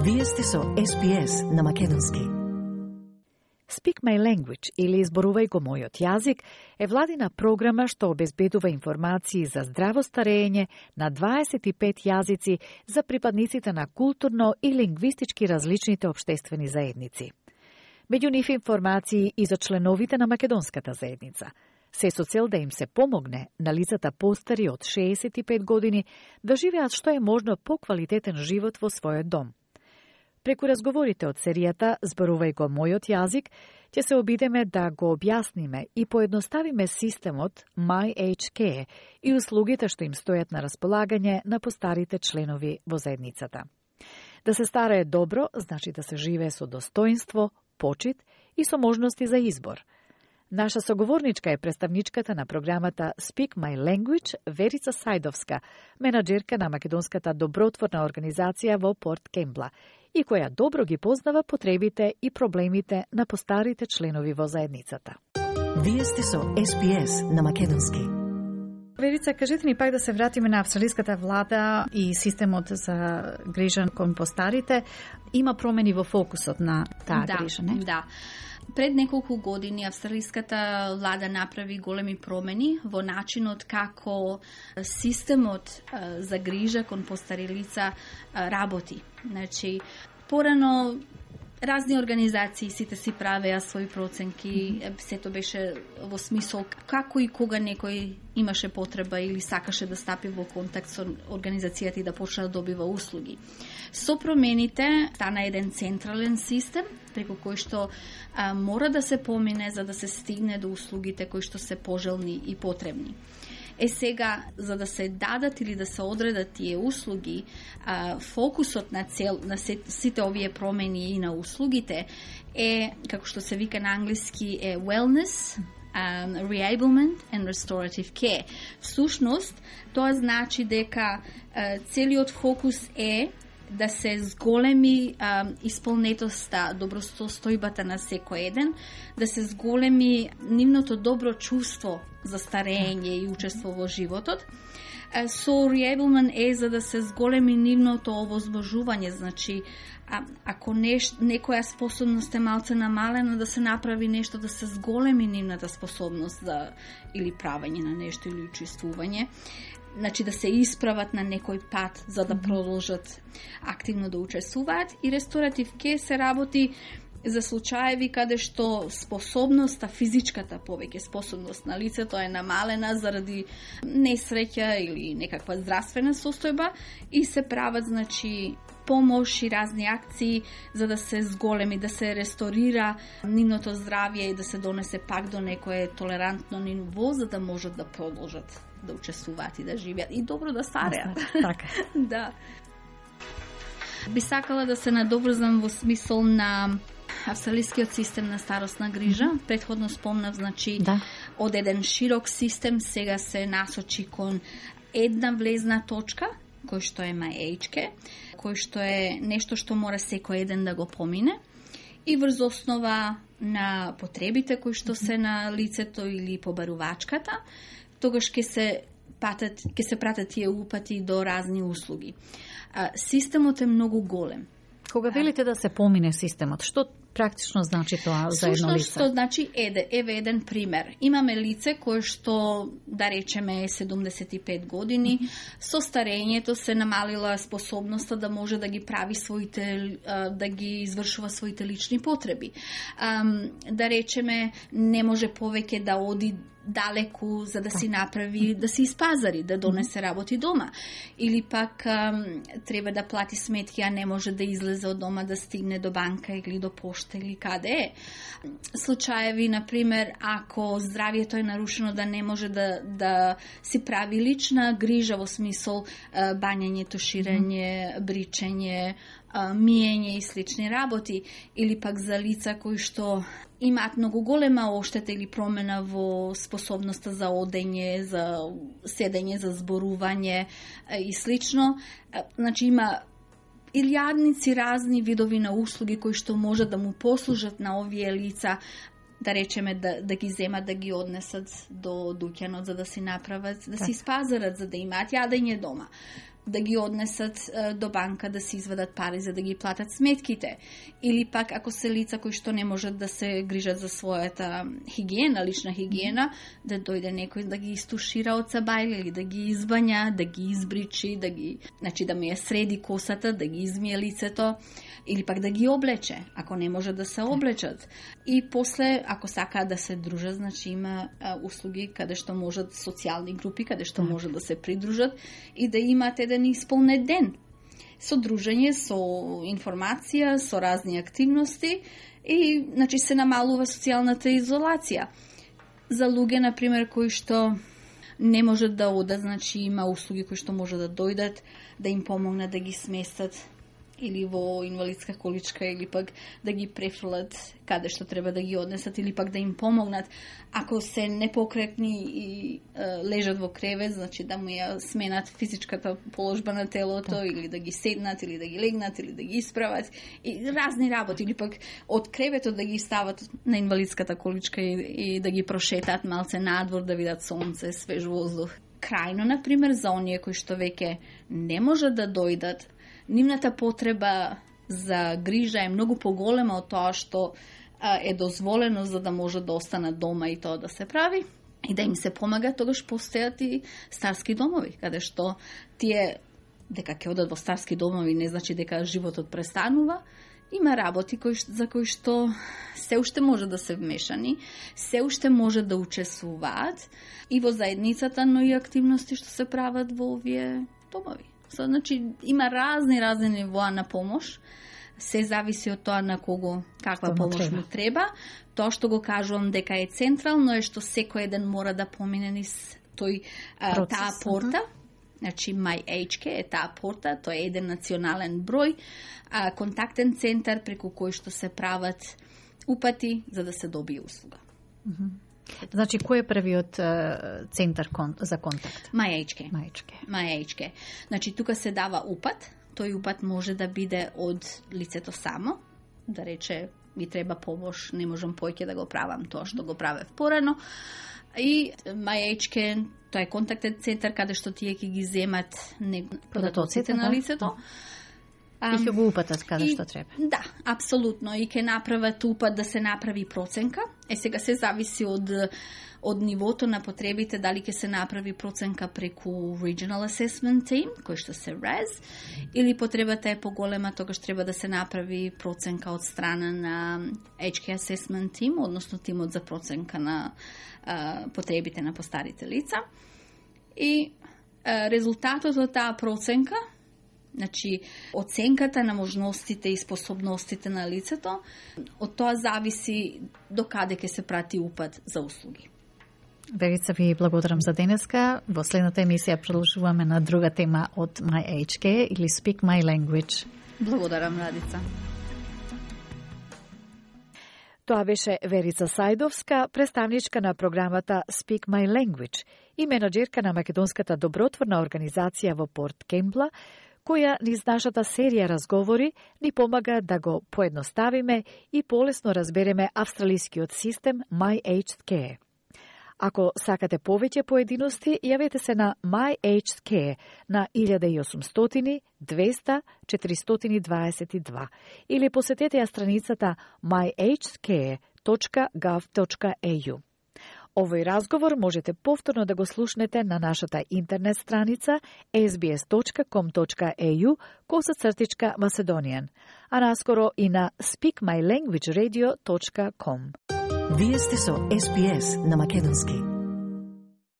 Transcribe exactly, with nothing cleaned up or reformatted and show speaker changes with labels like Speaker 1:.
Speaker 1: Вие сте со Ес Би Ес на македонски. Speak My Language или Изборувај го мојот јазик е владина програма што обезбедува информации за здраво старење на дваесет и пет јазици за припадниците на културно и лингвистички различните општествени заедници. Меѓу нив информации и за членовите на македонската заедница, се со цел да им се помогне на лицата постари од шеесет и пет години да живеат што е можно поквалитетен живот во својот дом. Преку разговорите од серијата Зборувај го мојот јазик, ќе се обидеме да го објасниме и поедноставиме системот My Age Care и услугите што им стојат на располагање на постарите членови во заедницата. Да се старае добро, значи да се живее со достоинство, почит и со можности за избор. Наша соговорничка е представничката на програмата Speak My Language, Верица Сајдовска, менаџерка на македонската добротворна организација во Порт Кембла, и која добро ги познава потребите и проблемите на постарите членови во заедницата. Вие сте со Ес Би Ес на македонски.
Speaker 2: Верица, кажете ни пак да се вратиме на австралиската влада и системот за грижа кон постарите. Има промени во фокусот на таа
Speaker 3: да,
Speaker 2: грижа, не?
Speaker 3: Да. Пред неколку години австралиската влада направи големи промени во начинот како системот за грижа кон постари лица работи. Значи, порано разни организации сите си правеа своји проценки, mm-hmm. сето беше во смисол како и кога некој имаше потреба или сакаше да стапи во контакт со организацијата и да почне да добива услуги. Со промените стана еден централен систем преку кој што а, мора да се помине за да се стигне до услугите кои што се пожелни и потребни. Е сега, за да се дадат или да се одредат тие услуги, а, фокусот на цел на сите овие промени и на услугите е, како што се вика на англиски, е wellness, um, reablement and restorative care. Всушност, тоа значи дека uh, целиот фокус е да се зголеми а, исполнетоста, добростојбата на секој еден, да се зголеми нивното добро чувство за старење и учество во животот. А, со reablement е за да се зголеми нивното овозможување, значи а, ако неш, некоја способност е малце намалена, да се направи нешто да се зголеми нивната способност за или правење на нешто или учествување. Значи да се исправат на некој пат за да продолжат активно да учествуваат. И ресторатив ке се работи за случаеви каде што способноста, физичката повеќе способност на лицето е намалена заради несреќа или некаква здравствена состојба и се прават, значи, помош и разни акции за да се зголеми, да се ресторира нивното здравје и да се донесе пак до некое толерантно ниво за да можат да продолжат да учествуваат и да живеат и добро да стареат.
Speaker 2: Така.
Speaker 3: Да. Би сакала да се надоврзам во смисол на австралискиот систем на старосна грижа. Mm-hmm. Претходно спомнав, значи, да. Од еден широк систем сега се насочи кон една влезна точка, кој што е My Age Care, кој што е нешто што мора секој еден да го помине и врз основа на потребите кои што се на лицето или побарувачката, тогаш ќе се патат, ќе се пратат тие упати до разни услуги. А, системот е многу голем.
Speaker 2: Кога велите да се помине системот, што практично значи тоа за едно лице?
Speaker 3: Што значи, еде, еве еден пример. Имаме лице кое што, да речеме, е седумдесет и пет години, mm-hmm. со старењето се намалила способноста да може да ги прави своите, да ги извршува своите лични потреби. Да речеме, не може повеќе да оди далеку за да си направи, да си испазари, да донесе работи дома. Или пак ам, треба да плати сметки, а не може да излезе од дома, да стигне до банка или до пошта или каде е. Случаеви, например, ако здравието е нарушено, да не може да, да си прави лична грижа во смисол а, бањање, туширање, бричење, а, миење и слични работи. Или пак за лица кои што имаат многу голема оштета или промена во способноста за одење, за седење, за зборување и слично. Значи има илјадници разни видови на услуги кои што може да му послужат на овие лица, да речеме да, да ги земат, да ги однесат до дуќанот за да си направат, да си спазарат, за да имаат јадење дома. да ги однесат е, до банка да се извадат пари за да ги платат сметките. Или пак ако се лица кои што не можат да се грижат за својата хигиена, лична хигиена, да дојде некој да ги истушира од сабајле или да ги избања, да ги избричи, да ги, значи да му ја среди косата, да ги измие лицето, или пак да ги облече, ако не може да се облечат. И после, ако сакаат да се дружат, значи има а, услуги каде што можат социјални групи, каде што може да се придружат и да имаат еден исполнет ден. Со дружење, со информација, со разни активности и значи се намалува социјалната изолација. За луѓе, например, кои што не можат да одат, значи има услуги кои што може да дојдат, да им помогнат да ги сместат или во инвалидска количка, или пак да ги префрлат каде што треба да ги однесат, или пак да им помогнат. Ако се непокретни и е, лежат во кревет, значи да му ја сменат физичката положба на телото, так. Или да ги седнат, или да ги легнат, или да ги исправат. И разни работи, или пак од креветот да ги стават на инвалидската количка и, и да ги прошетаат малце надвор, да видат сонце, свеж воздух. Крајно, например, за оние кои што веќе не можат да дојдат, нивната потреба за грижа е многу поголема од тоа што а, е дозволено за да може да останат дома и тоа да се прави и да им се помага, тогаш постојат и старски домови, каде што тие дека ќе одат во старски домови не значи дека животот престанува. Има работи кои, за кои што се уште може да се вмешани, се уште може да учествуваат и во заедницата, но и активности што се прават во овие домови. So, значи, има разни, разни нивоа на помош. Се зависи од тоа на кого, каква помош му треба. Тоа што го кажувам дека е централно е што секој еден мора да помине низ тој а, таа порта. Значи, MyHK е таа порта, тоа е еден национален број, а, контактен центар преку кој што се прават упати за да се добие услуга.
Speaker 2: Mm-hmm. Значи, кој е првиот uh, центар кон, за контакт?
Speaker 3: MyHK.
Speaker 2: MyHK.
Speaker 3: MyHK. Значи, тука се дава упат. Тој упат може да биде од лицето само, да рече, ми треба помош, не можам поќе да го правам тоа што го правев порано. И MyHK, тоа е контактен центар каде што тие ќе ги земат податоците на лицето.
Speaker 2: И ќе го упатат каде што треба.
Speaker 3: Да, апсолутно. И ќе направат упат да се направи проценка. Е, сега се зависи од, од нивото на потребите, дали ќе се направи проценка преку Regional Assessment Team, кој што се R A S, или потребата е поголема, тогаш треба да се направи проценка од страна на H K Assessment Team, односно тимот за проценка на а, потребите на постарите лица. И а, резултатот од таа проценка, значи, оценката на можностите и способностите на лицето, од тоа зависи до каде ќе се прати упат за услуги.
Speaker 2: Верица, ви благодарам за денеска. Во следната емисија продолжуваме на друга тема од MyHK или Speak My Language.
Speaker 3: Благодарам, Радица.
Speaker 1: Тоа беше Верица Сајдовска, представничка на програмата Speak My Language и менаџерка на македонската добротворна организација во Порт Кемпла, која низ нашата серија разговори ни помага да го поедноставиме и полесно разбереме австралискиот систем MyHK. Ако сакате повеќе поединости, јавете се на MyHK на илјада и осумстотини двеста четиристотини дваесет и два или посетете ја страницата my h k точка gov точка a u. Овој разговор можете повторно да го слушнете на нашата интернет страница s b s точка com точка a u косацртичка Macedonian, а наскоро и на speak my language radio точка com.
Speaker 4: Вие сте со Ес Би Ес на македонски.